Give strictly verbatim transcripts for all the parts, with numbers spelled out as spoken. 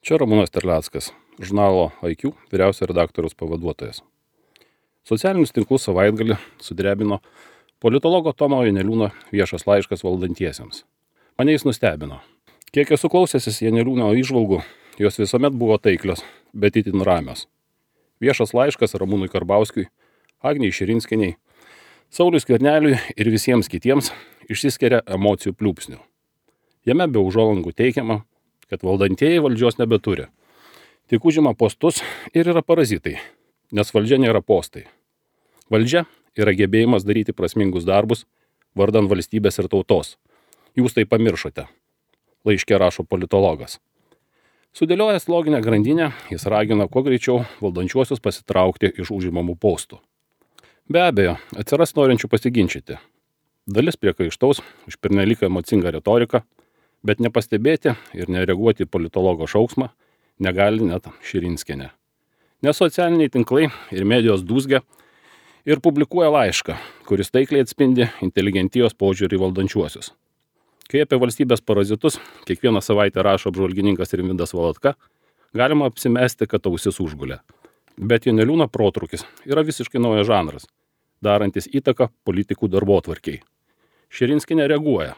Čia Ramūnas Terleckas, žurnalo I Q vyriausio redaktoriaus pavaduotojas. Socialinius tinklus savaitgalį sudrebino politologo Tomo Janeliūno viešas laiškas valdantiesiems. Mane jis nustebino. Kiek esu klausęsis Janeliūno įžvalgų, jos visuomet buvo taiklios, bet itin ramios. Viešas laiškas Ramūnui Karbauskiui, Agnei Širinskienei, Sauliui Skverneliui ir visiems kitiems išsiskiria emocijų pliūpsnių. Jame be užuolankų teikiama, kad valdantieji valdžios nebeturi. Tik užima postus ir yra parazitai, nes valdžia nėra postai. Valdžia yra gebėjimas daryti prasmingus darbus vardan valstybės ir tautos. Jūs tai pamiršote, laiške rašo politologas. Sudėliojęs loginę grandinę, jis ragina kuo greičiau valdančiuosius pasitraukti iš užimamų postų. Be abejo, atsiras norinčių pasiginčyti. Dalis priekaištaus už pernelyg emocingą retoriką, bet nepastebėti ir nereaguoti į politologo šauksmą negali net Širinskienė. Nes socialiniai tinklai ir medijos dūzgia ir publikuoja laišką, kuris taikliai atspindi inteligentijos požiūrį į valdančiuosius. Kai apie valstybės parazitus kiekvieną savaitę rašo apžvalgininkas Rimvydas Valatka, galima apsimesti, kad ausis užgulė. Bet Janeliūno protrūkis yra visiškai naujas žanras, darantis įtaką politikų darbotvarkei. Širinskienė reaguoja,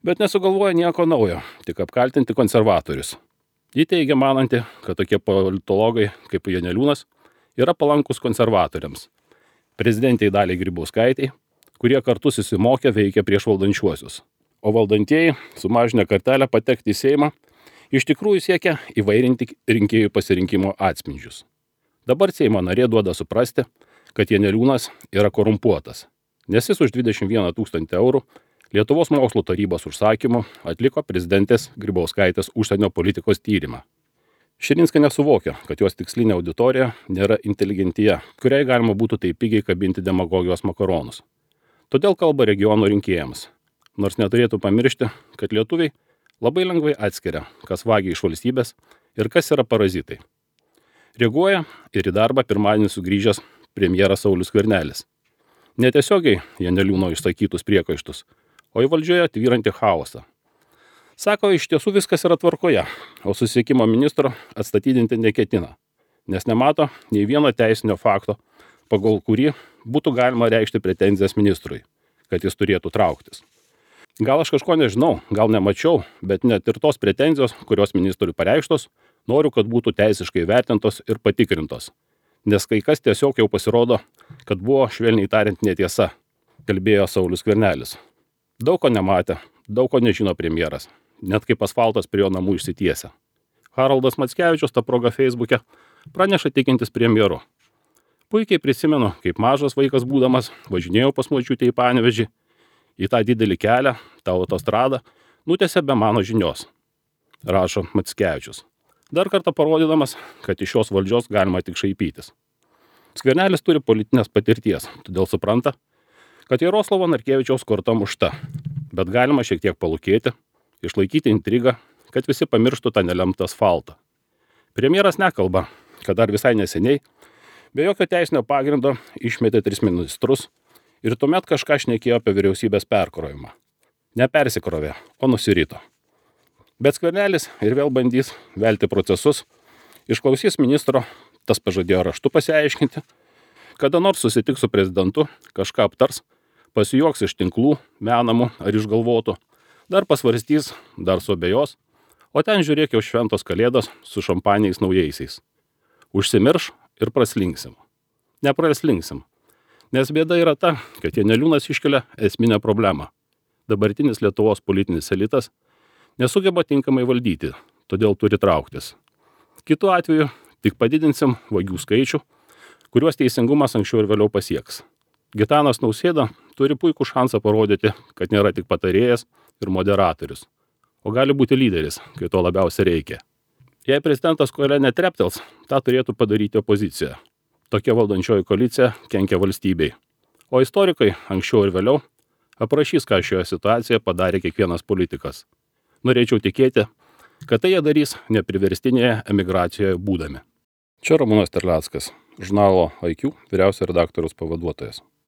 bet nesugalvoja nieko naujo, tik apkaltinti konservatorius. Ji teigia mananti, kad tokie politologai kaip Janeliūnas yra palankus konservatoriams, prezidentei Daliai Grybauskaitei, kurie kartu susimokė veikia prieš valdančiuosius. O valdantieji, sumažinę kartelę patekti į Seimą, iš tikrųjų siekia įvairinti rinkėjų pasirinkimo atspindžius. Dabar Seimo narė duoda suprasti, kad Janeliūnas yra korumpuotas, nes jis už dvidešimt vieną tūkstantį eurų Lietuvos mokslo tarybos užsakymu atliko prezidentės Grybauskaitės užsienio politikos tyrimą. Širinskienė suvokia, kad jos tikslinė auditorija nėra inteligentija, kuriai galima būtų taip pigiai kabinti demagogijos makaronus. Todėl kalba regionų rinkėjams, nors neturėtų pamiršti, kad lietuviai labai lengvai atskiria, kas vagia iš valstybės ir kas yra parazitai. Reaguoja ir į darbą pirmadienį sugrįžęs premjeras Saulius Skvernelis. Netiesiogiai Janeliūno išsakytus priekaištus, o į valdžioje tvyrantį chaosą. Sako, iš tiesų viskas yra tvarkoje, o susisiekimo ministro atstatydinti neketina, nes nemato nei vieno teisinio fakto, pagal kurį būtų galima reikšti pretenzijas ministrui, kad jis turėtų trauktis. Gal aš kažko nežinau, gal nemačiau, bet net ir tos pretenzijos, kurios ministrui pareikštos, noriu, kad būtų teisiškai vertintos ir patikrintos, nes kai kas tiesiog jau pasirodo, kad buvo švelniai tariant netiesa, kalbėjo Saulius Skvernelis. Daug ko nematė, daug ko nežino premjeras, net kaip asfaltas prie jo namų išsitiesia. Haroldas Mackevičius tą progą Feisbuke praneša tikintis premjeru. Puikiai prisimenu, kaip mažas vaikas būdamas važinėjau pas močiutę į Panevėžį, į tą didelį kelią, tą autostradą, nutęsė be mano žinios, rašo Mackevičius. Dar kartą parodydamas, kad iš šios valdžios galima tik šaipytis. Skvernelis turi politinės patirties, todėl supranta, kad Jaroslavo Narkevičiaus korta mušta, bet galima šiek tiek palūkėti, išlaikyti intrigą, kad visi pamirštų tą nelemtą asfaltą. Premjeras nekalba, kad dar visai neseniai, be jokio teisinio pagrindo, išmetė tris ministrus ir tuomet kažką šnekėjo apie vyriausybės perkrovimą. Nepersikrovė, o nusirito. Bet Skvernelis ir vėl bandys velti procesus, išklausys ministro, tas pažadėjo raštu pasiaiškinti, kada nors susitiks su prezidentu, kažką aptars, pasijuoks iš tinklų, menamų ar išgalvotų, dar pasvarstys, dar suabejos, o ten žiūrėk jau šventos kalėdos su šampaniais naujaisiais. Užsimirš ir praslinksim. Nepraslinksim, nes bėda yra ta, kad Janeliūnas iškelia esminę problemą. Dabartinis Lietuvos politinis elitas nesugeba tinkamai valdyti, todėl turi trauktis. Kitu atveju tik padidinsim vagių skaičių, kuriuos teisingumas anksčiau ir vėliau pasieks. Gitanas Nausėda turi puikų šansą parodyti, kad nėra tik patarėjas ir moderatorius, o gali būti lyderis, kai to labiausiai reikia. Jei prezidentas koale netreptels, tą turėtų padaryti opozicija. Tokia valdančioji koalicija kenkia valstybei. O istorikai anksčiau ir vėliau aprašys, ką šioje situacijoje padarė kiekvienas politikas. Norėčiau tikėti, kad tai jie darys nepriverstinėje emigracijoje būdami. Čia Ramūnas Terleckas, žurnalo I Q vyriausio redaktoriaus pavaduotojas.